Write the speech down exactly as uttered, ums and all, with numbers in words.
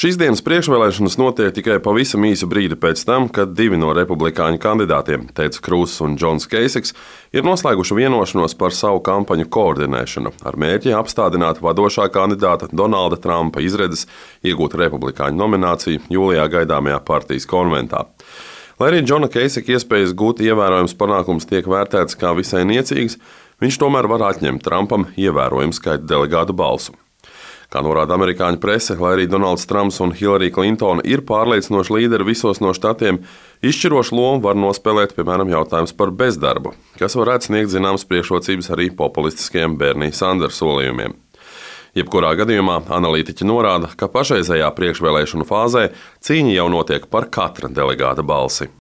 Šīs dienas priekšvēlēšanas notiek tikai pavisam īsu brīdi pēc tam, kad divi no republikāņu kandidātiem, Teds Krūss un Džons Keisiks, ir noslēguši vienošanos par savu kampaņu koordinēšanu ar mērķi apstādināt vadošā kandidāta Donalda Trumpa izredzes iegūt republikāņu nomināciju jūlijā gaidāmajā partijas konventā. Lai arī Džona Keisika iespējas gūt ievērojams panākums tiek vērtēts kā visai niecīgs, viņš tomēr var atņemt Trumpam ievērojumu skaitu delegātu balsu. Kā norāda amerikāņu prese, lai arī Donalds Trumps un Hillary Clintona ir pārliecinoši līderi visos no štatiem, izšķirošu lomu var nospēlēt, piemēram, jautājums par bezdarbu, kas varētu sniegt zināmas priekšrocības arī populistiskajiem Bernie Sanders solījumiem. Jebkurā gadījumā analītiķi norāda, ka pašreizējā priekšvēlēšanu fāzē cīņa jau notiek par katra delegāta balsi.